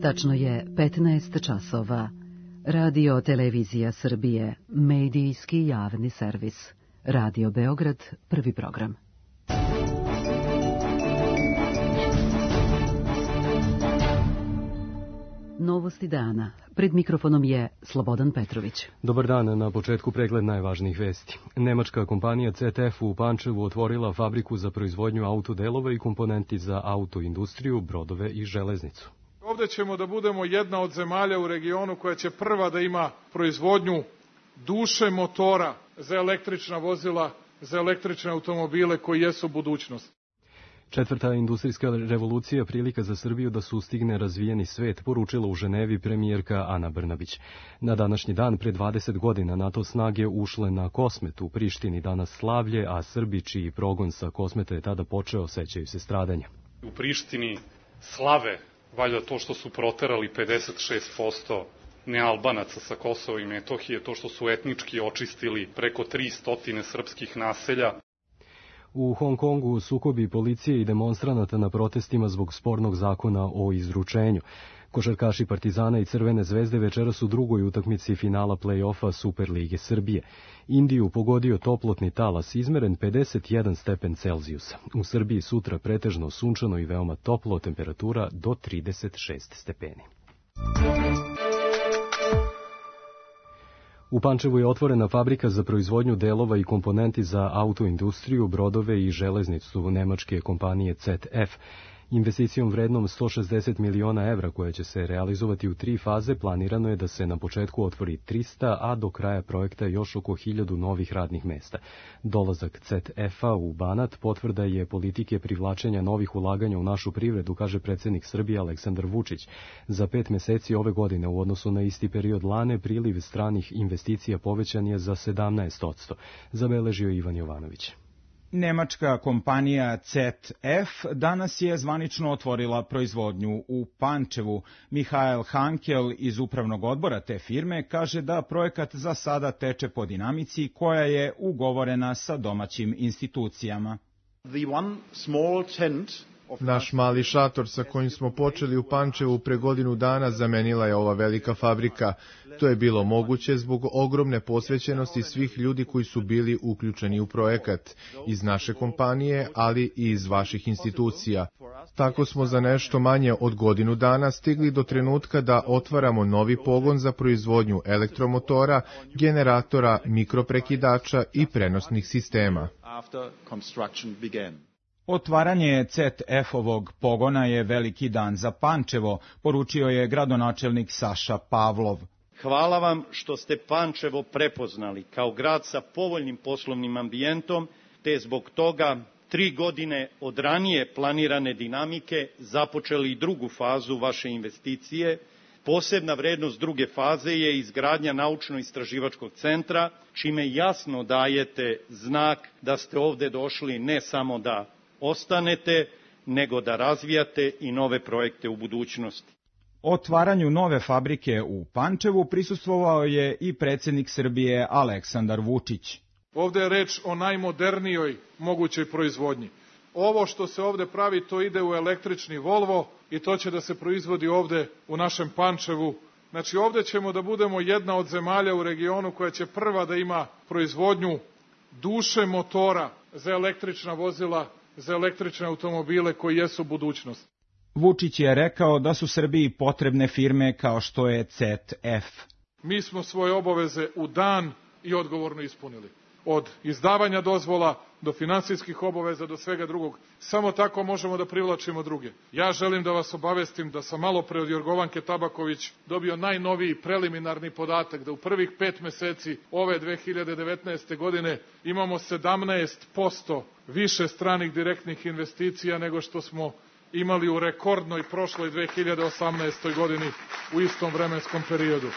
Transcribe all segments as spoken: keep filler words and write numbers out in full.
Tačno je petnaest časova. Radio Televizija Srbije, medijski javni servis. Radio Beograd, prvi program. Novosti dana. Pred mikrofonom je Slobodan Petrović. Dobar dan, na početku pregled najvažnijih vesti. Nemačka kompanija C T F u Pančevu otvorila fabriku za proizvodnju autodelova i komponenti za autoindustriju, brodove i železnicu. Ovde ćemo da budemo jedna od zemalja u regionu koja će prva da ima proizvodnju duše motora za električna vozila, za električne automobile koji jesu budućnost. Četvrta industrijska revolucija prilika za Srbiju da sustigne razvijeni svet, poručila u Ženevi premijerka Ana Brnabić. Na današnji dan, pre dvadeset godina, NATO snage ušle na Kosmet u Prištini, danas slavlje, a Srbi čiji progon sa Kosmeta je tada počeo, sećaju se stradanja. U Prištini slave valjda to što su proterali pedeset šest posto nealbanaca sa Kosova i Metohije, to što su etnički očistili preko tristo srpskih naselja. U Hong Kongu sukobi policije i demonstranata na protestima zbog spornog zakona o izručenju. Košarkaši Partizana i Crvene zvezde večeras u drugoj utakmici finala play-offa Superlige Srbije. Indiju pogodio toplotni talas izmeren pedeset jedan stepen Celzijusa. U Srbiji sutra pretežno sunčano i veoma toplo, temperatura do trideset šest stepeni. U Pančevu je otvorena fabrika za proizvodnju delova i komponenti za autoindustriju, brodove i železnicu nemačke kompanije C T F. Investicijom vrednom sto šezdeset miliona evra koja će se realizovati u tri faze, planirano je da se na početku otvori trista, a do kraja projekta još oko hiljadu novih radnih mesta. Dolazak C T F-a u Banat potvrda je politike privlačenja novih ulaganja u našu privredu, kaže predsjednik Srbije Aleksandar Vučić. Za pet meseci ove godine u odnosu na isti period lane priliv stranih investicija povećan je za sedamnaest posto, zabeležio Ivan Jovanović. Nemačka kompanija C T F danas je zvanično otvorila proizvodnju u Pančevu. Mihael Hankel iz upravnog odbora te firme kaže da projekat za sada teče po dinamici koja je ugovorena sa domaćim institucijama. Naš mali šator sa kojim smo počeli u Pančevu pre godinu dana zamenila je ova velika fabrika. To je bilo moguće zbog ogromne posvećenosti svih ljudi koji su bili uključeni u projekat, iz naše kompanije, ali i iz vaših institucija. Tako smo za nešto manje od godinu dana stigli do trenutka da otvaramo novi pogon za proizvodnju elektromotora, generatora, mikroprekidača i prenosnih sistema. Otvaranje C T F-ovog pogona je veliki dan za Pančevo, poručio je gradonačelnik Saša Pavlov. Hvala vam što ste Pančevo prepoznali kao grad sa povoljnim poslovnim ambijentom, te zbog toga tri godine od ranije planirane dinamike započeli i drugu fazu vaše investicije. Posebna vrednost druge faze je izgradnja naučno-istraživačkog centra, čime jasno dajete znak da ste ovde došli ne samo da ostanete, nego da razvijate i nove projekte u budućnosti. Otvaranju nove fabrike u Pančevu prisustvovao je i predsjednik Srbije Aleksandar Vučić. Ovde je reč o najmodernijoj mogućoj proizvodnji. Ovo što se ovde pravi, to ide u električni Volvo i to će da se proizvodi ovde u našem Pančevu. Znači ovde ćemo da budemo jedna od zemalja u regionu koja će prva da ima proizvodnju duše motora za električna vozila, za električne automobile koji jesu budućnost. Vučić je rekao da su Srbiji potrebne firme kao što je C T F. Mi smo svoje obaveze u dan i odgovorno ispunili. Od izdavanja dozvola do finansijskih obaveza do svega drugog. Samo tako možemo da privlačimo druge. Ja želim da vas obavestim da sam malo pre od Jorgovanke Tabaković dobio najnoviji preliminarni podatak da u prvih pet meseci ove dve hiljade devetnaeste. godine imamo sedamnaest posto više stranih direktnih investicija nego što smo imali u rekordnoj prošloj dve hiljade osamnaestoj. godini u istom vremenskom periodu.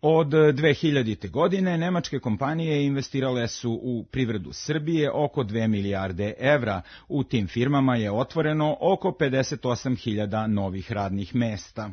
Od dve hiljadite. godine nemačke kompanije investirale su u privredu Srbije oko dve milijarde evra. U tim firmama je otvoreno oko pedeset osam hiljada novih radnih mesta.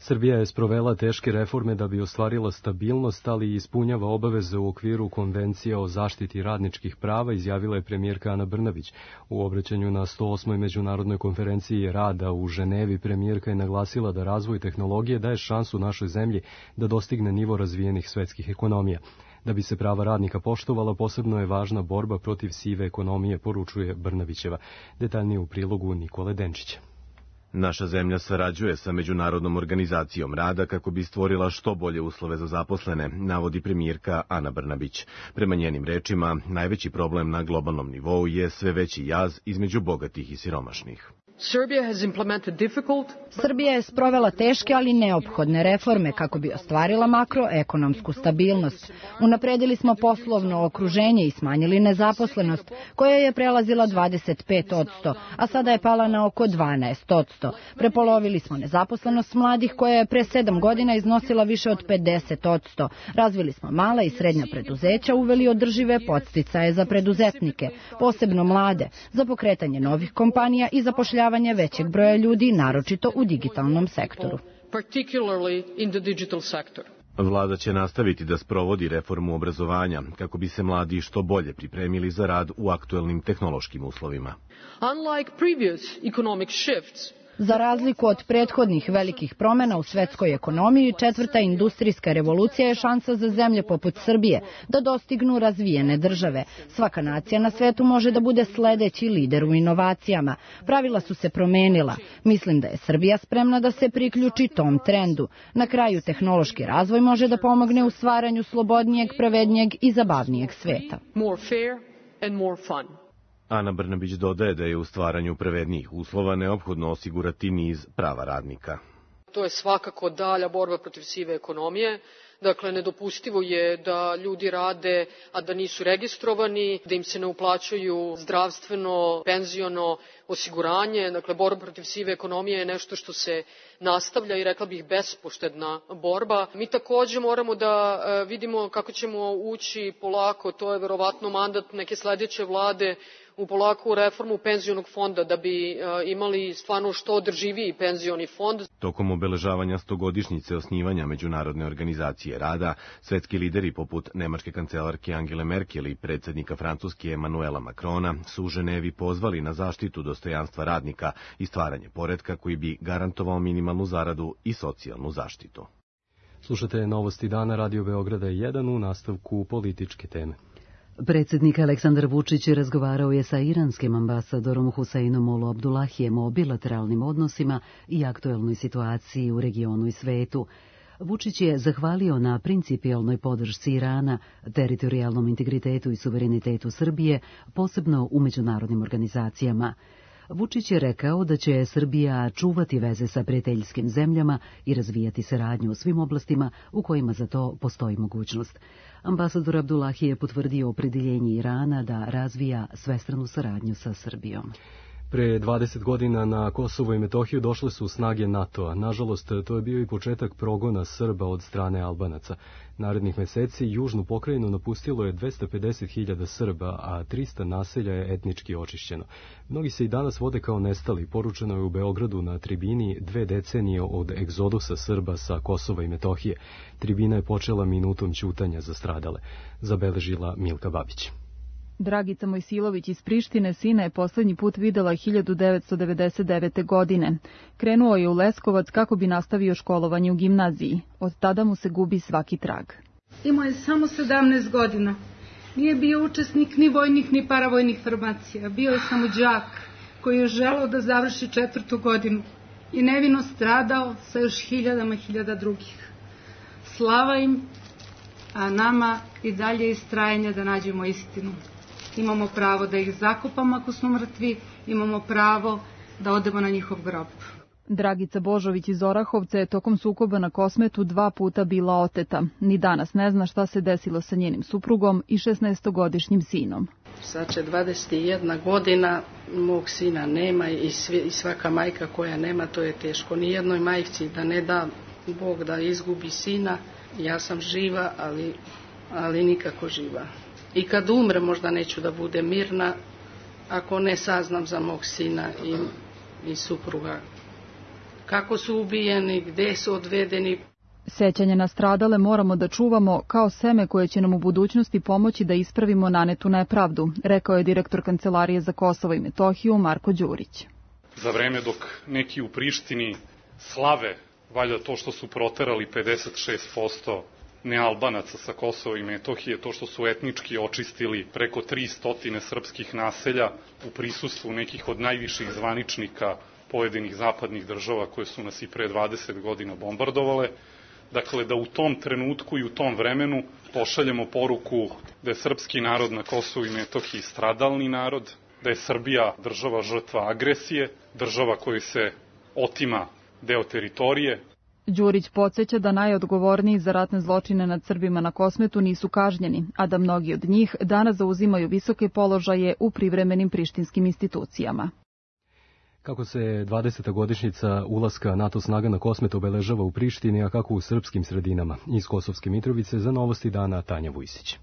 Srbija je sprovela teške reforme da bi ostvarila stabilnost, ali i ispunjava obaveze u okviru Konvencija o zaštiti radničkih prava, izjavila je premijerka Ana Brnabić. U obraćanju na sto osmoj međunarodnoj konferenciji rada u Ženevi premijerka je naglasila da razvoj tehnologije daje šansu našoj zemlji da dostigne nivo razvijenih svetskih ekonomija. Da bi se prava radnika poštovala, posebno je važna borba protiv sive ekonomije, poručuje Brnabićeva. Detaljnije u prilogu Nikole Denčića. Naša zemlja sarađuje sa Međunarodnom organizacijom rada kako bi stvorila što bolje uslove za zaposlene, navodi premijerka Ana Brnabić. Prema njenim rečima, najveći problem na globalnom nivou je sve veći jaz između bogatih i siromašnih. Srbija je sprovela teške, ali neophodne reforme kako bi ostvarila makroekonomsku stabilnost. Unapredili smo poslovno okruženje i smanjili nezaposlenost, koja je prelazila dvadeset pet posto, a sada je pala na oko dvanaest posto. Prepolovili smo nezaposlenost mladih, koja je pre sedam godina iznosila više od pedeset posto. Razvili smo mala i srednja preduzeća, uveli održive podsticaje za preduzetnike, posebno mlade, za pokretanje novih kompanija i zapošljavanje većeg broja ljudi, naročito u digitalnom sektoru. Vlada će nastaviti da sprovodi reformu obrazovanja kako bi se mladi što bolje pripremili za rad u aktuelnim tehnološkim uslovima. Za razliku od prethodnih velikih promjena u svetskoj ekonomiji, četvrta industrijska revolucija je šansa za zemlje poput Srbije da dostignu razvijene države. Svaka nacija na svetu može da bude sledeći lider u inovacijama. Pravila su se promenila. Mislim da je Srbija spremna da se priključi tom trendu. Na kraju, tehnološki razvoj može da pomogne u stvaranju slobodnijeg, pravednijeg i zabavnijeg sveta. Ana Brnabić dodaje da je u stvaranju pravednijih uslova neophodno osigurati niz prava radnika. To je svakako dalja borba protiv sive ekonomije. Dakle, nedopustivo je da ljudi rade, a da nisu registrovani, da im se ne uplaćuju zdravstveno, penziono osiguranje. Dakle, borba protiv sive ekonomije je nešto što se nastavlja i rekla bih bespoštedna borba. Mi takođe moramo da vidimo kako ćemo ući polako, to je verovatno mandat neke sledeće vlade, u polaku reformu penzionog fonda da bi imali stvarno što održiviji penzioni fond. Tokom obeležavanja stogodišnjice osnivanja Međunarodne organizacije rada, svetski lideri poput nemačke kancelarke Angele Merkel i predsjednika Francuske Emanuela Macrona su u Ženevi pozvali na zaštitu dostojanstva radnika i stvaranje poretka koji bi garantovao minimalnu zaradu i socijalnu zaštitu. Slušate Novosti dana Radio Beograda jedan u nastavku političke teme. Predsjednik Aleksandar Vučić razgovarao je sa iranskim ambasadorom Huseinom Olu Abdullahijem o bilateralnim odnosima i aktuelnoj situaciji u regionu i svetu. Vučić je zahvalio na principijelnoj podršci Irana, teritorijalnom integritetu i suverenitetu Srbije, posebno u međunarodnim organizacijama. Vučić je rekao da će Srbija čuvati veze sa prijateljskim zemljama i razvijati saradnju u svim oblastima u kojima za to postoji mogućnost. Ambasador Abdullahi je potvrdio opredjeljenje Irana da razvija svestranu saradnju sa Srbijom. Pre dvadeset godina na Kosovo i Metohiju došle su snage NATO-a. Nažalost, to je bio i početak progona Srba od strane Albanaca. Narednih meseci južnu pokrajinu napustilo je dvesta pedeset hiljada Srba, a trista naselja je etnički očišćeno. Mnogi se i danas vode kao nestali. Poručeno je u Beogradu na tribini dve decenije od egzodusa Srba sa Kosova i Metohije. Tribina je počela minutom ćutanja za stradale, zabeležila Milka Babić. Dragica Mojsilović iz Prištine sina je poslednji put videla hiljadu devetsto devedeset devete. godine. Krenuo je u Leskovac kako bi nastavio školovanje u gimnaziji. Od tada mu se gubi svaki trag. Imao je samo sedamnaest godina. Nije bio učesnik ni vojnih ni paravojnih formacija. Bio je samo đak koji je želeo da završi četvrtu godinu i nevino stradao sa još hiljadama hiljada drugih. Slava im, a nama i dalje istrajanje da nađemo istinu. Imamo pravo da ih zakopamo ako smo mrtvi, imamo pravo da odemo na njihov grob. Dragica Božović iz Orahovca je tokom sukoba na Kosmetu dva puta bila oteta. Ni danas ne zna šta se desilo sa njenim suprugom i šesnaestogodišnjim sinom. Sad će dvadeset jedna godina, mog sina nema i, svi, i svaka majka koja nema, to je teško. Nijednoj majci da ne da Bog da izgubi sina. Ja sam živa, ali, ali nikako živa. I kad umre možda neću da bude mirna ako ne saznam za mog sina i, i supruga kako su ubijeni, gde su odvedeni. Sećanje na stradale moramo da čuvamo kao seme koje će nam u budućnosti pomoći da ispravimo nanetu nepravdu, rekao je direktor Kancelarije za Kosovo i Metohiju Marko Đurić. Za vreme dok neki u Prištini slave valjda to što su proterali pedeset šest posto nealbanaca sa Kosova i Metohije, to što su etnički očistili preko tristo srpskih naselja u prisustvu nekih od najviših zvaničnika pojedinih zapadnih država koje su nas i pre dvadeset godina bombardovale. Dakle, da u tom trenutku i u tom vremenu pošaljemo poruku da je srpski narod na Kosovu i Metohiji stradalni narod, da je Srbija država žrtva agresije, država kojoj se otima deo teritorije. Đurić podsjeća da najodgovorniji za ratne zločine nad Srbima na Kosmetu nisu kažnjeni, a da mnogi od njih danas zauzimaju visoke položaje u privremenim prištinskim institucijama. Kako se dvadeseta godišnjica ulaska NATO snaga na Kosmet obeležava u Prištini, a kako u srpskim sredinama? Iz Kosovske Mitrovice za Novosti dana Tanja Vujsić.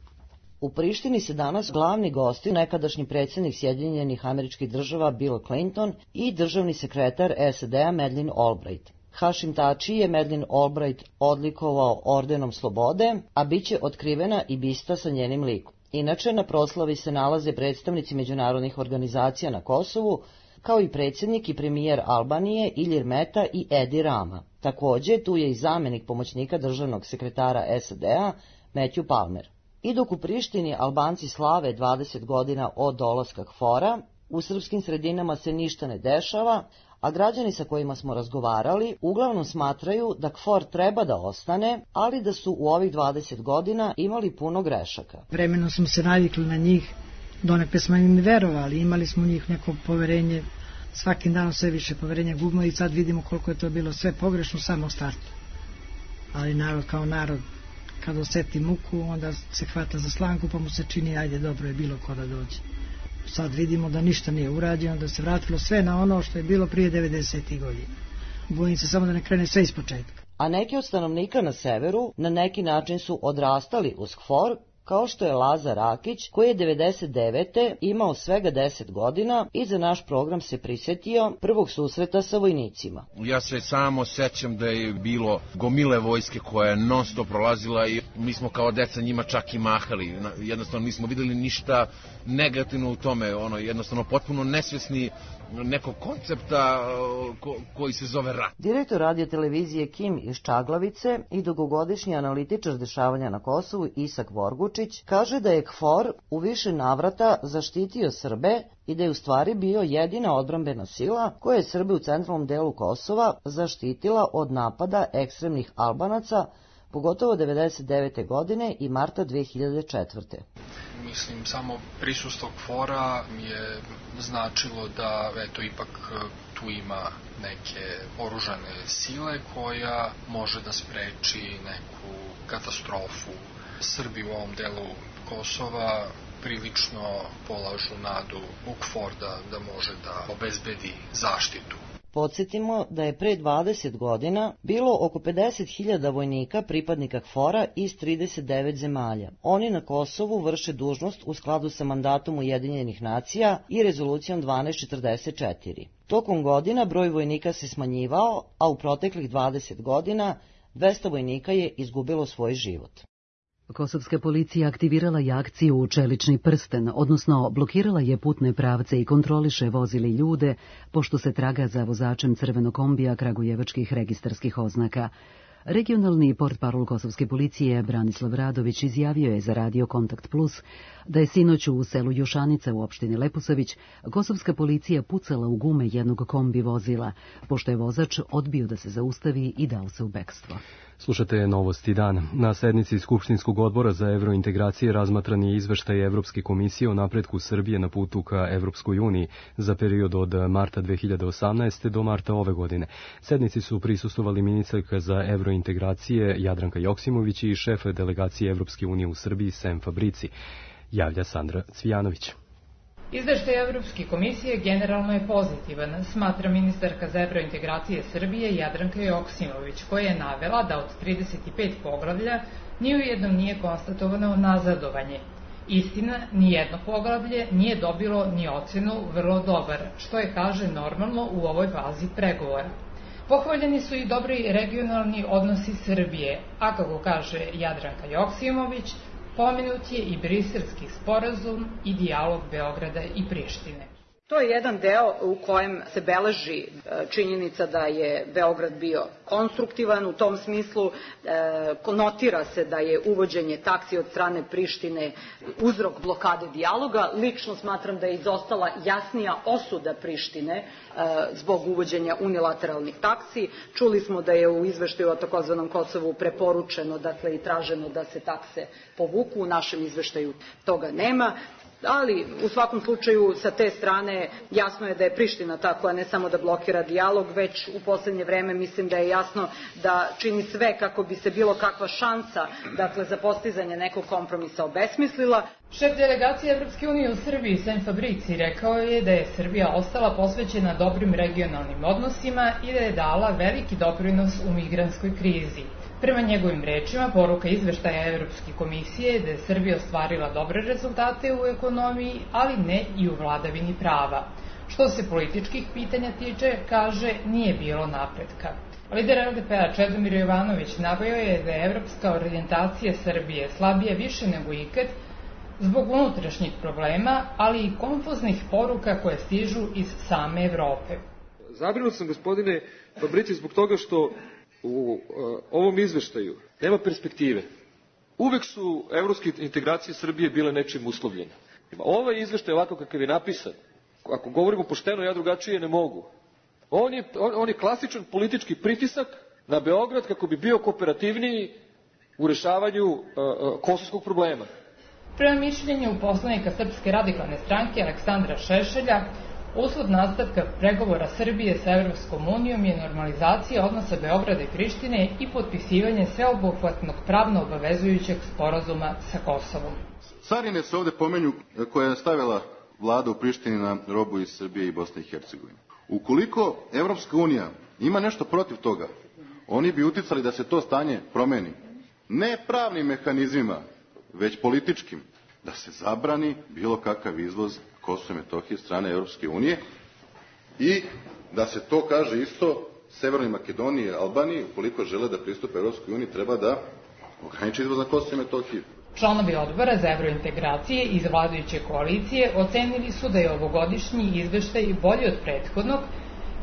U Prištini se danas glavni gosti nekadašnji predsjednik Sjedinjenih Američkih Država Bill Clinton i državni sekretar S A D-a Madeleine Albright. Hašim Tači je Madeleine Albright odlikovao ordenom slobode, a bit će otkrivena i bista sa njenim likom. Inače, na proslavi se nalaze predstavnici međunarodnih organizacija na Kosovu, kao i predsjednik i premijer Albanije Ilir Meta i Edi Rama. Također, tu je i zamjenik pomoćnika državnog sekretara S A D-a Matthew Palmer. I dok u Prištini Albanci slave dvadeset godina od dolaska K F O R-a, u srpskim sredinama se ništa ne dešava, a građani sa kojima smo razgovarali uglavnom smatraju da K F O R treba da ostane, ali da su u ovih dvadeset godina imali puno grešaka. Vremenom smo se navikli na njih, donekle smo im verovali, imali smo u njih neko poverenje, svakim danom sve više poverenja gubimo i sad vidimo koliko je to bilo sve pogrešno samo u startu. Ali narod kao narod, kad oseti muku, onda se hvata za slanku, pa mu se čini, ajde, dobro je bilo ko da dođe. Sad vidimo da ništa nije urađeno, da se vratilo sve na ono što je bilo prije devedesetih godina. Bojim se samo da ne krene sve iz početka. A neki od stanovnika na severu na neki način su odrastali uz K F O R, kao što je Lazar Rakić, koji je devedeset devete imao svega deset godina i za naš program se prisjetio prvog susreta sa vojnicima. Ja se samo sećam da je bilo gomile vojske koja je non stop prolazila i mi smo kao deca njima čak i mahali. Jednostavno nismo videli ništa negativno u tome, ono, jednostavno potpuno nesvjesni nekog koncepta ko, koji se zove rat. Direktor radio televizije Kim iz Čaglavice i dugogodišnji analitičar dešavanja na Kosovu Isak Vorgučić kaže da je K F O R u više navrata zaštitio Srbe i da je u stvari bio jedina odbrambena sila koja je Srbe u centralnom delu Kosova zaštitila od napada ekstremnih Albanaca, pogotovo devedeset devete godine i marta dve hiljade četvrte. Mislim, samo prisustvo K F O R-a je značilo da, eto, ipak tu ima neke oružane sile koja može da spreči neku katastrofu. Srbi u ovom delu Kosova prilično polažu nadu u K F O R da, da može da obezbedi zaštitu. Podsjetimo da je pre dvadeset godina bilo oko pedeset hiljada vojnika pripadnika K F O R-a iz trideset devet zemalja. Oni na Kosovu vrše dužnost u skladu sa mandatom Ujedinjenih nacija i rezolucijom dvanaest četrdeset četiri. Tokom godina broj vojnika se smanjivao, a u proteklih dvadeset godina dvesta vojnika je izgubilo svoj život. Kosovska policija aktivirala je akciju Čelični prsten, odnosno blokirala je putne pravce i kontroliše vozili ljude, pošto se traga za vozačem crvenog kombija kragujevačkih registarskih oznaka. Regionalni portparol Kosovske policije Branislav Radović izjavio je za Radio Kontakt Plus da je sinoć u selu Jušanica u opštini Leposavić kosovska policija pucala u gume jednog kombi vozila, pošto je vozač odbio da se zaustavi i dao se u bekstvo. Slušate Novosti dan. Na sednici Skupštinskog odbora za evrointegracije razmatran je izveštaj Evropske komisije o napretku Srbije na putu ka Evropskoj uniji za period od marta dve hiljade osamnaeste. do marta ove godine. Sednici su prisustvovali ministarka za evrointegracije Jadranka Joksimović i šef delegacije Evropske unije u Srbiji Sem Fabrici. Javlja Sandra Cvijanović. Izveštaj Evropske komisije generalno je pozitivan, smatra ministarka za evrointegracije Srbije Jadranka Joksimović, koja je navela da od trideset pet poglavlja ni u jednom nije konstatovano nazadovanje. Istina, nijedno poglavlje nije dobilo ni ocenu vrlo dobar, što je, kaže, normalno u ovoj fazi pregovora. Pohvaljeni su i dobri regionalni odnosi Srbije, a kako kaže Jadranka Joksimović, pomenut je i Briselski sporazum i dijalog Beograda i Prištine. To je jedan deo u kojem se beleži činjenica da je Beograd bio konstruktivan, u tom smislu notira se da je uvođenje taksi od strane Prištine uzrok blokade dijaloga. Lično smatram da je izostala jasnija osuda Prištine zbog uvođenja unilateralnih taksi. Čuli smo da je u izveštaju o takozvanom Kosovu preporučeno, dakle i traženo da se takse povuku, u našem izveštaju toga nema. Ali u svakom slučaju sa te strane jasno je da je Priština ta koja ne samo da blokira dijalog, već u poslednje vreme mislim da je jasno da čini sve kako bi se bilo kakva šansa, dakle, za postizanje nekog kompromisa obesmislila. Šef delegacije Evropske unije u Srbiji, Sem Fabrici, rekao je da je Srbija ostala posvećena dobrim regionalnim odnosima i da je dala veliki doprinos u migrantskoj krizi. Prema njegovim rečima, poruka izveštaja Evropske komisije je da je Srbija ostvarila dobre rezultate u ekonomiji, ali ne i u vladavini prava. Što se političkih pitanja tiče, kaže, nije bilo napretka. Lider L D P-a Čedomir Jovanović naveo je da je evropska orijentacija Srbije slabija više nego ikad zbog unutrašnjih problema, ali i konfuznih poruka koje stižu iz same Evrope. Zabrinut sam, gospodine Fabrici, zbog toga što u uh, ovom izveštaju nema perspektive. Uvek su evropske integracije Srbije bile nečim uslovljene. Ovaj izveštaj ovako kakav je napisan, ako govorimo pošteno, ja drugačije ne mogu. On je, on, on je klasičan politički pritisak na Beograd kako bi bio kooperativniji u rešavanju uh, uh, kosovskog problema. Prema mišljenju poslanika Srpske radikalne stranke Aleksandra Šešelja, uslov nastavka pregovora Srbije sa Evropskom unijom je normalizacija odnosa Beograda i Prištine i potpisivanje sveobuhvatnog pravno obavezujućeg sporazuma sa Kosovom. Carine se ovde pomenju koje je stavila vlada u Prištini na robu iz Srbije i Bosne i Hercegovine. Ukoliko Evropska unija ima nešto protiv toga, oni bi uticali da se to stanje promeni. Ne pravnim mehanizmima, već političkim, da se zabrani bilo kakav izvoz Kosova i Metohije strane Evropske unije i da se to kaže isto Severnoj Makedoniji i Albaniji, ukoliko žele da pristupe Evropskoj uniji, treba da ograniči izvoz na Kosovo i Metohiju. Članovi odbora za evrointegracije iz vladajuće koalicije ocenili su da je ovogodišnji izveštaj bolji od prethodnog,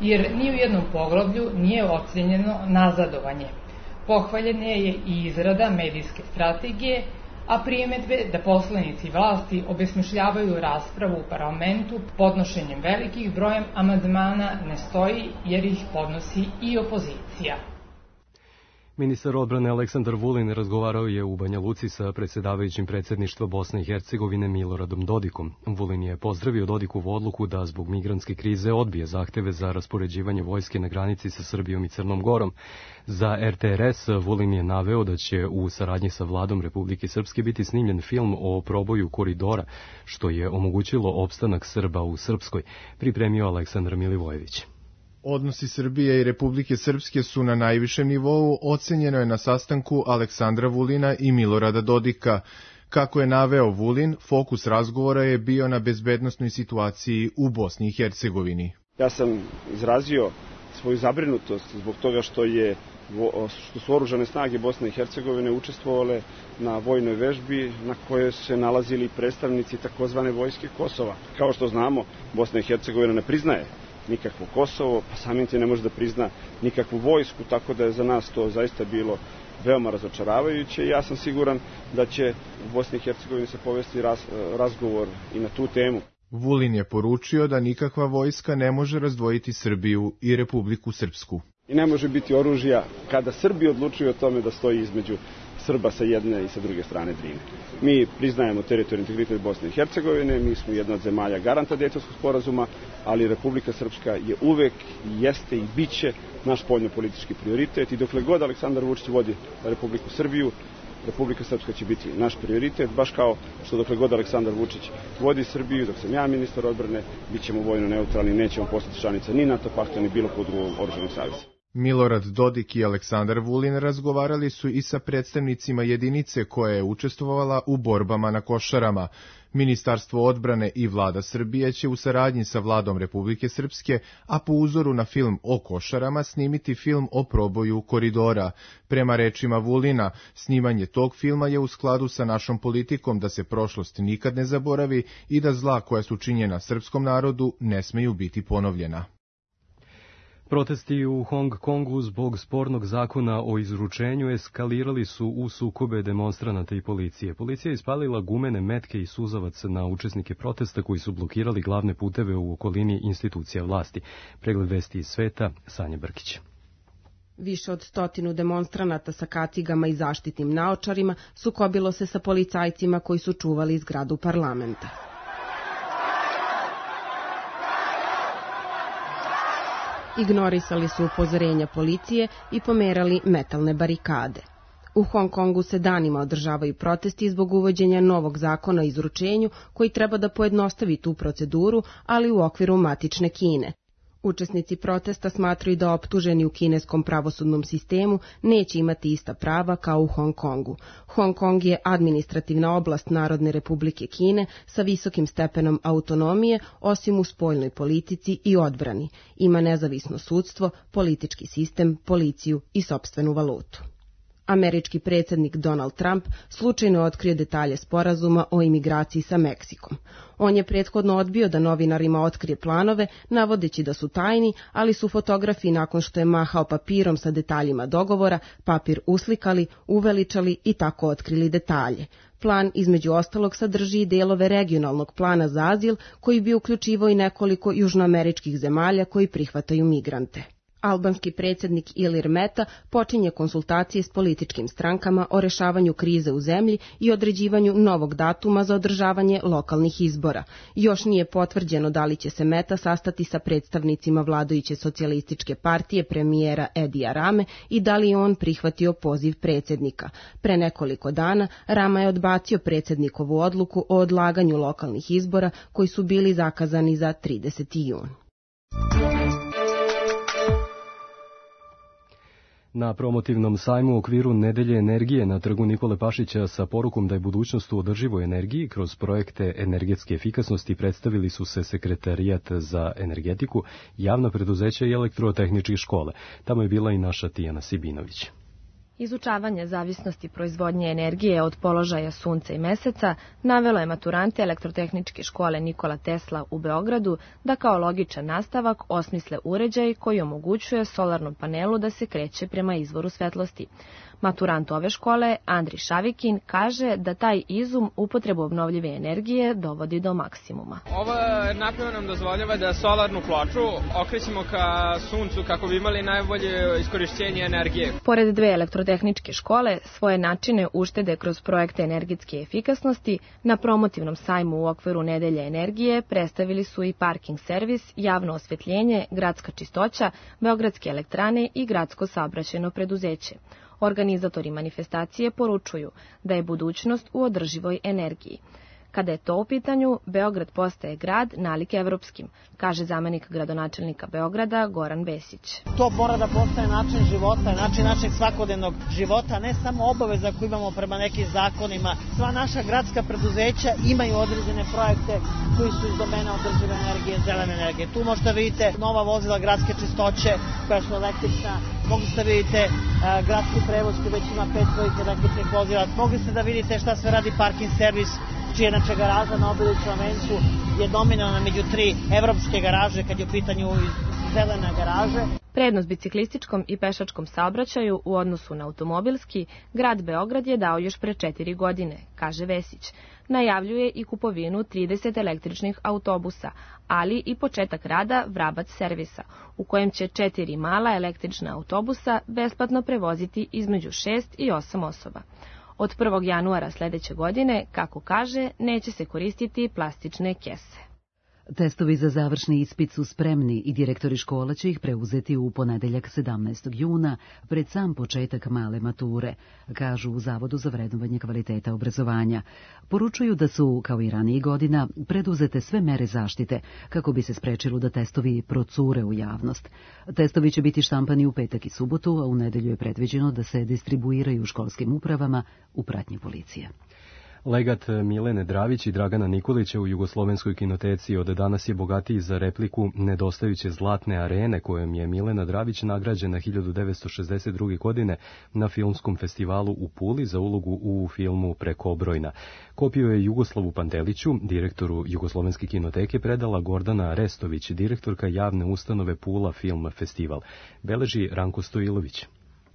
jer ni u jednom poglavlju nije ocenjeno nazadovanje. Pohvaljena je i izrada medijske strategije, a primedbe da poslanici vlasti obesmišljavaju raspravu u parlamentu podnošenjem velikih brojem amandmana ne stoji, jer ih podnosi i opozicija. Ministar odbrane Aleksandar Vulin razgovarao je u Banja Luci sa predsjedavajućim predsjedništva Bosne i Hercegovine Miloradom Dodikom. Vulin je pozdravio Dodikovu odluku da zbog migrantske krize odbije zahteve za raspoređivanje vojske na granici sa Srbijom i Crnom Gorom. Za R T R S Vulin je naveo da će u saradnji sa vladom Republike Srpske biti snimljen film o proboju koridora, što je omogućilo opstanak Srba u Srpskoj, pripremio Aleksandar Milivojević. Odnosi Srbije i Republike Srpske su na najvišem nivou, ocenjeno je na sastanku Aleksandra Vulina i Milorada Dodika. Kako je naveo Vulin, fokus razgovora je bio na bezbednosnoj situaciji u Bosni i Hercegovini. Ja sam izrazio svoju zabrinutost zbog toga što je što su oružane snage Bosne i Hercegovine učestvovale na vojnoj vežbi na kojoj se nalazili predstavnici takozvane vojske Kosova. Kao što znamo, Bosna i Hercegovina ne priznaje nikakvo Kosovo, pa samim tim ne može da prizna nikakvu vojsku, tako da je za nas to zaista bilo veoma razočaravajuće i ja sam siguran da će u Bosni i Hercegovini se povesti raz, razgovor i na tu temu. Vulin je poručio da nikakva vojska ne može razdvojiti Srbiju i Republiku Srpsku. I ne može biti oružja kada Srbi odlučuju o tome da stoji između Srba sa jedne i sa druge strane Drine. Mi priznajemo teritorijalni integritet Bosne i Hercegovine, mi smo jedna od zemalja garanta Dejtonskog sporazuma, ali Republika Srpska je uvek, jeste i biće naš spoljnopolitički prioritet i dokle god Aleksandar Vučić vodi Republiku Srbiju, Republika Srpska će biti naš prioritet, baš kao što dokle god Aleksandar Vučić vodi Srbiju, dok sam ja ministar odbrane, bit ćemo vojno neutralni, nećemo postati članica ni NATO pakta, ni bilo kod drugog oružanog saveza. Milorad Dodik i Aleksandar Vulin razgovarali su i sa predstavnicima jedinice koja je učestvovala u borbama na Košarama. Ministarstvo odbrane i vlada Srbije će u saradnji sa vladom Republike Srpske, a po uzoru na film o Košarama, snimiti film o proboju koridora. Prema rečima Vulina, snimanje tog filma je u skladu sa našom politikom da se prošlost nikad ne zaboravi i da zla koja su činjena srpskom narodu ne smeju biti ponovljena. Protesti u Hong Kongu zbog spornog zakona o izručenju eskalirali su u sukobe demonstranata i policije. Policija je ispalila gumene metke i suzavac na učesnike protesta koji su blokirali glavne puteve u okolini institucija vlasti. Pregled vesti iz sveta, Sanja Brkić. Više od stotinu demonstranata sa kacigama i zaštitnim naočarima sukobilo se sa policajcima koji su čuvali zgradu parlamenta. Ignorisali su upozorenja policije i pomerali metalne barikade. U Hong Kongu se danima održavaju protesti zbog uvođenja novog zakona o izručenju koji treba da pojednostavi tu proceduru, ali u okviru matične Kine. Učesnici protesta smatraju da optuženi u kineskom pravosudnom sistemu neće imati ista prava kao u Hong Kongu. Hong Kong je administrativna oblast Narodne Republike Kine sa visokim stepenom autonomije, osim u spoljnoj politici i odbrani. Ima nezavisno sudstvo, politički sistem, policiju i sopstvenu valutu. Američki predsjednik Donald Trump slučajno otkrio detalje sporazuma o imigraciji sa Meksikom. On je prethodno odbio da novinarima otkrije planove, navodeći da su tajni, ali su fotografi nakon što je mahao papirom sa detaljima dogovora, papir uslikali, uveličali i tako otkrili detalje. Plan između ostalog sadrži i delove regionalnog plana za azil koji bi uključivao i nekoliko južnoameričkih zemalja koji prihvataju migrante. Albanski predsjednik Ilir Meta počinje konsultacije s političkim strankama o rešavanju krize u zemlji i određivanju novog datuma za održavanje lokalnih izbora. Još nije potvrđeno da li će se Meta sastati sa predstavnicima vladajuće socijalističke partije premijera Edija Rame i da li je on prihvatio poziv predsjednika. Pre nekoliko dana Rama je odbacio predsjednikovu odluku o odlaganju lokalnih izbora koji su bili zakazani za trideseti jun. Na promotivnom sajmu u okviru Nedelje energije na trgu Nikole Pašića sa porukom da je budućnost u održivoj energiji kroz projekte energetske efikasnosti predstavili su se Sekretarijat za energetiku, javna preduzeća i elektrotehničke škole. Tamo je bila i naša Tijana Sibinović. Izučavanje zavisnosti proizvodnje energije od položaja sunca i meseca navelo je maturante elektrotehničke škole Nikola Tesla u Beogradu da kao logičan nastavak osmisle uređaj koji omogućuje solarnom panelu da se kreće prema izvoru svetlosti. Maturant ove škole, Andri Šavikin, kaže da taj izum upotrebu obnovljive energije dovodi do maksimuma. Ova naprava nam dozvoljava da solarnu ploču okrećemo ka suncu kako bi imali najbolje iskorišćenje energije. Pored dve elektrotehničke škole, svoje načine uštede kroz projekte energetske efikasnosti na promotivnom sajmu u okviru Nedelje energije predstavili su i parking servis, javno osvetljenje, gradska čistoća, beogradske elektrane i gradsko saobraćajno preduzeće. Organizatori manifestacije poručuju da je budućnost u održivoj energiji. Kada je to u pitanju, Beograd postaje grad nalik evropskim, kaže zamenik gradonačelnika Beograda Goran Vesić. To mora da postaje način života, način našeg svakodnevnog života, ne samo obaveza koju imamo prema nekim zakonima. Sva naša gradska preduzeća imaju određene projekte koji su iz domena održive energije, zelene energije. Tu možete vidite nova vozila gradske čistoće koja su električna, mogli ste vidite uh, gradski prevoz koji već ima pet svojih električnih vozila, mogli ste da vidite šta sve radi parking servis, čija inače garaža na Obilićevom vencu je dominalna među tri evropske garaže kad je u pitanju zelena garaže. Prednost biciklističkom i pešačkom saobraćaju u odnosu na automobilski grad Beograd je dao još pre četiri godine, kaže Vesić. Najavljuje i kupovinu trideset električnih autobusa, ali i početak rada Vrabac servisa, u kojem će četiri mala električna autobusa besplatno prevoziti između šest i osam osoba. Od prvog januara sledeće godine, kako kaže, neće se koristiti plastične kese. Testovi za završni ispit su spremni i direktori škola će ih preuzeti u ponedeljak sedamnaestog juna pred sam početak male mature, kažu u Zavodu za vrednovanje kvaliteta obrazovanja. Poručuju da su, kao i ranijih godina, preduzete sve mere zaštite kako bi se sprečilo da testovi procure u javnost. Testovi će biti štampani u petak i subotu, a u nedelju je predviđeno da se distribuiraju u školskim upravama u pratnji policije. Legat Milene Dravić i Dragana Nikolića u Jugoslovenskoj kinoteci od danas je bogatiji za repliku nedostajuće zlatne arene kojom je Milena Dravić nagrađena hiljadu devetsto šezdeset druge. godine na filmskom festivalu u Puli za ulogu u filmu Prekobrojna. Kopiju je Jugoslavu Panteliću, direktoru Jugoslovenske kinoteke, predala Gordana Restović, direktorka javne ustanove Pula Film Festival. Beleži Ranko Stojilović.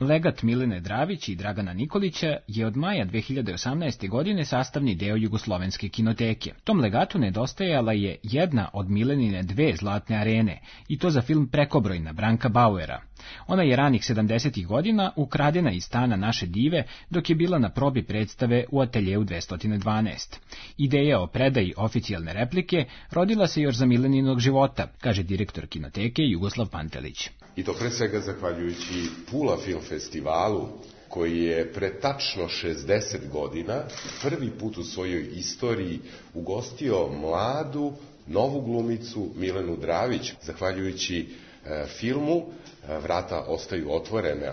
Legat Milene Dravić i Dragana Nikolića je od maja dve hiljade osamnaeste. godine sastavni deo Jugoslovenske kinoteke. Tom legatu nedostajala je jedna od Milenine dve zlatne arene, i to za film Prekobrojna Branka Bauera. Ona je ranih sedamdesetih godina ukradena iz stana naše dive dok je bila na probi predstave u ateljeu dvesta dvanaest. Ideja o predaji oficijalne replike rodila se još za Mileninog života, kaže direktor kinoteke Jugoslav Pantelić. I to pre svega zahvaljujući Pula Film Festivalu, koji je pre tačno šezdeset godina prvi put u svojoj istoriji ugostio mladu, novu glumicu Milenu Dravić. Zahvaljujući e, filmu e, Vrata ostaju otvorena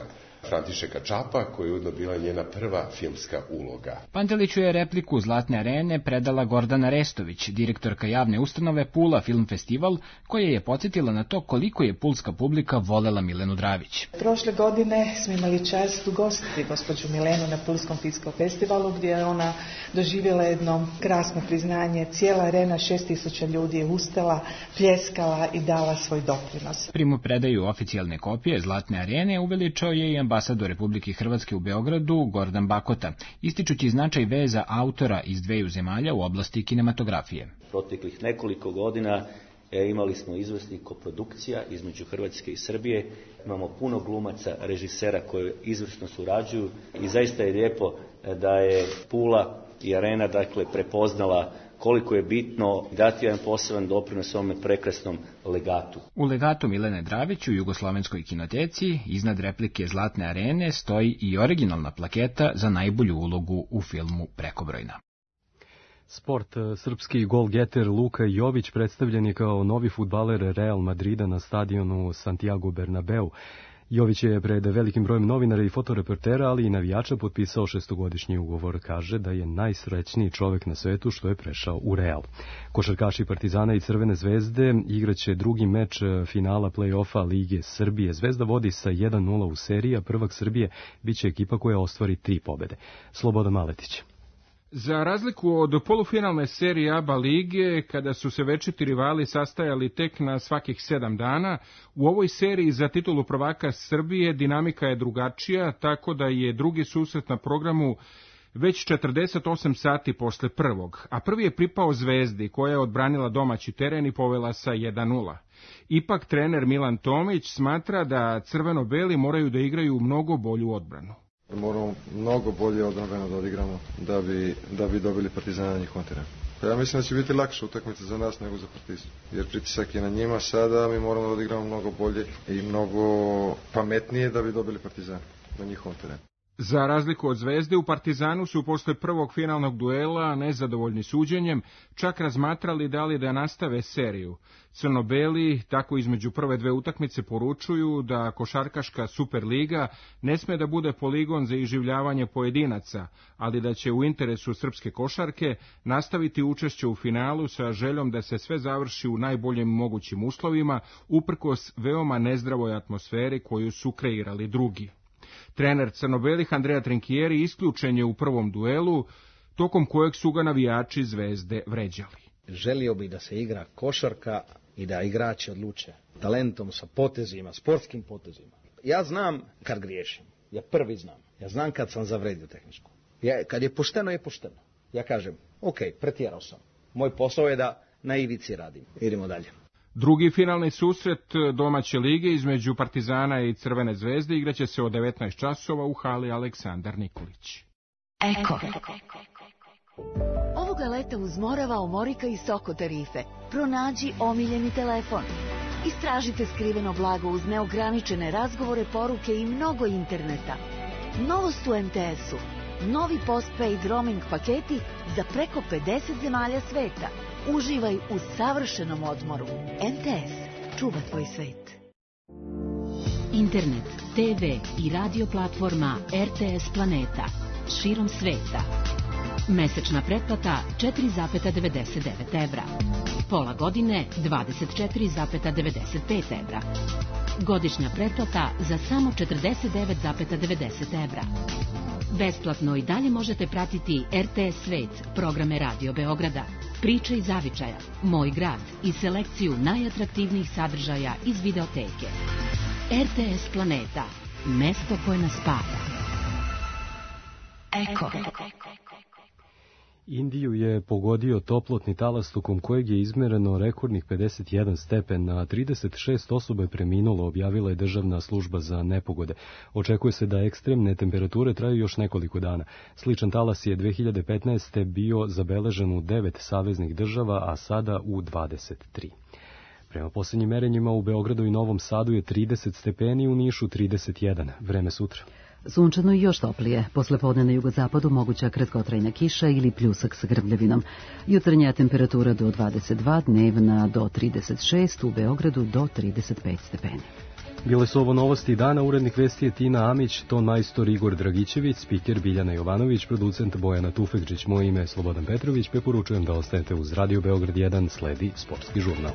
Františeka Čapa, koja je ujedno bila njena prva filmska uloga. Panteliću je repliku Zlatne arene predala Gordana Restović, direktorka javne ustanove Pula Film Festival, koja je podsjetila na to koliko je pulska publika volela Milenu Dravić. Prošle godine smo imali čast ugostiti gospođu Milenu na Pulskom filmskom festivalu, gdje je ona doživjela jedno krasno priznanje. Cijela arena, šest tisuća ljudi je ustala, pljeskala i dala svoj doprinos. Primu predaju oficijalne kopije Zlatne arene uveličao je i ambasador Republike Hrvatske u Beogradu Gordan Bakota, ističući značaj veza autora iz dveju zemalja u oblasti kinematografije. Proteklih nekoliko godina e, imali smo izvrsnih koprodukcija između Hrvatske i Srbije. Imamo puno glumaca, režisera koji izvrsno surađuju i zaista je lijepo da je Pula i arena dakle prepoznala koliko je bitno dati jedan poseban doprinos ovome prekrasnom legatu. U legatu Milene Dravić u Jugoslovenskoj kinoteci iznad replike Zlatne arene stoji i originalna plaketa za najbolju ulogu u filmu Prekobrojna. Sport. Srpski golgeter Luka Jović predstavljen je kao novi fudbaler Real Madrida na stadionu Santiago Bernabeu. Jović je pred velikim brojem novinara i fotoreportera, ali i navijača potpisao šestogodišnji ugovor. Kaže da je najsrećniji čovek na svetu što je prešao u Real. Košarkaši Partizana i Crvene zvezde igraće drugi meč finala play-offa Lige Srbije. Zvezda vodi sa jedan nula u seriji, a prvak Srbije biće ekipa koja ostvari tri pobede. Slobodan Maletić. Za razliku od polufinalne serije A B A lige, kada su se večiti rivali sastajali tek na svakih sedam dana, u ovoj seriji za titulu prvaka Srbije dinamika je drugačija, tako da je drugi susret na programu već četrdeset osam sati posle prvog, a prvi je pripao Zvezdi, koja je odbranila domaći teren i povela sa jedan nula. Ipak trener Milan Tomić smatra da crveno-beli moraju da igraju mnogo bolju odbranu. Moramo mnogo bolje odbrambeno da odigramo da bi, da bi dobili Partizana na njihovom terenu. Ja mislim da će biti lakša utakmica za nas nego za Partizan, jer pritisak je na njima sada, mi moramo da odigramo mnogo bolje i mnogo pametnije da bi dobili Partizan na njihovom terenu. Za razliku od Zvezde, u Partizanu su posle prvog finalnog duela, nezadovoljni suđenjem, čak razmatrali da li da nastave seriju. Crno-beli tako između prve dve utakmice poručuju da košarkaška Superliga ne sme da bude poligon za iživljavanje pojedinaca, ali da će u interesu srpske košarke nastaviti učešće u finalu sa željom da se sve završi u najboljim mogućim uslovima, uprkos veoma nezdravoj atmosferi koju su kreirali drugi. Trener crno-belih Andrea Trinkieri isključen je u prvom duelu, tokom kojeg su ga navijači Zvezde vređali. Želio bi da se igra košarka i da igrači odluče talentom, sa potezima, sportskim potezima. Ja znam kad griješim, ja prvi znam. Ja znam kad sam zavredio tehničku. Ja, kad je pošteno, je pošteno. Ja kažem, ok, pretjerao sam. Moj posao je da na ivici radim. Idemo dalje. Drugi finalni susret domaće lige između Partizana i Crvene zvezde igraće se od devetnaest časova u hali Aleksandar Nikolić. Eko. Ovog Ovoga leta uz Morava, Omorika i Soko tarife. Pronađi omiljeni telefon. Istražite skriveno blago uz neograničene razgovore, poruke i mnogo interneta. Novost u em te esu. Novi postpaid roaming paketi za preko pedeset zemalja sveta. Uživaj u savršenom odmoru. em te es. Čuva tvoj svet. Internet, te ve i radio platforma er te es Planeta. Širom sveta. Mesečna pretplata četiri zarez devedeset devet evra. Pola godine dvadeset četiri zarez devedeset pet evra. Godišnja pretplata za samo četrdeset devet zarez devedeset evra. Besplatno i dalje možete pratiti er te es Svet, programe Radio Beograda, Priče iz zavičaja, Moj grad i selekciju najatraktivnijih sadržaja iz videoteke. er te es Planeta, mesto koje nas spaja. Eko. Indiju je pogodio toplotni talas tokom kojeg je izmereno rekordnih pedeset jedan stepen, a trideset šest osoba je preminulo, objavila je Državna služba za nepogode. Očekuje se da ekstremne temperature traju još nekoliko dana. Sličan talas je dve hiljade petnaeste. bio zabeležen u devet saveznih država, a sada u dvadeset tri. Prema posljednjim merenjima u Beogradu i Novom Sadu je trideset stepeni, u Nišu trideset jedan. Vreme sutra. Sunčano i još toplije. Posle podne na jugozapadu moguća kratkotrajna kiša ili pljusak sa grmljavinom. Jutarnja temperatura do dvadeset dva, dnevna do trideset šest, u Beogradu do trideset pet stepeni. Bile su ovo novosti dana, urednik vesti je Tina Amić, ton majstor Igor Dragićević, spiker Biljana Jovanović, producent Bojana Tufekđić, moje ime je Slobodan Petrović, preporučujem da ostanete uz Radio Beograd jedan, sledi sportski žurnal.